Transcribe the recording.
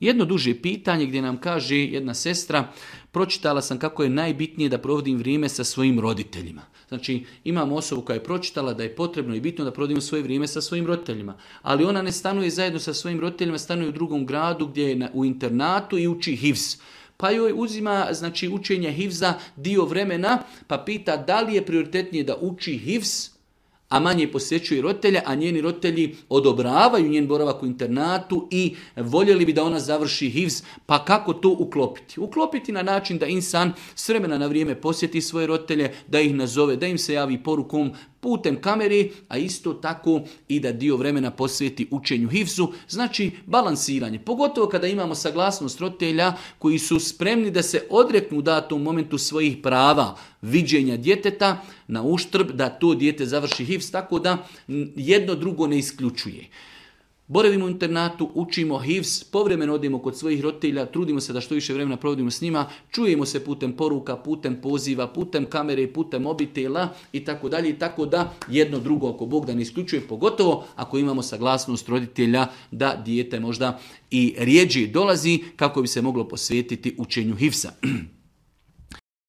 Jedno duže pitanje gdje nam kaže jedna sestra, pročitala sam kako je najbitnije da provodim vrijeme sa svojim roditeljima. Znači, imamo osobu koja je pročitala da je potrebno i bitno da provodimo svoje vrijeme sa svojim roditeljima. Ali ona ne stanuje zajedno sa svojim roditeljima, stanuje u drugom gradu gdje je u internatu i uči hifz. Pa joj uzima, znači, učenje hifza dio vremena, pa pita da li je prioritetnije da uči hifz, a manje posjećuje roditelja, a njeni roditelji odobravaju njen boravak u internatu i voljeli bi da ona završi hifz, pa kako to uklopiti? Uklopiti na način da insan s vremena na vrijeme posjeti svoje roditelje, da ih nazove, da im se javi porukom putem kamere, a isto tako i da dio vremena posveti učenju hifzu, znači balansiranje. Pogotovo kada imamo saglasnost roditelja koji su spremni da se odreknu u datom momentu svojih prava viđenja djeteta na uštrb da to dijete završi hifz, tako da jedno drugo ne isključuje. Boravimo u internatu, učimo hifz, povremeno odemo kod svojih roditelja, trudimo se da što više vremena provodimo s njima, čujemo se putem poruka, putem poziva, putem kamere, putem mobitela i tako dalje, i tako da jedno drugo ako Bog da ne isključuje, pogotovo ako imamo saglasnost roditelja da dijete možda i rjeđe dolazi kako bi se moglo posvetiti učenju hifza.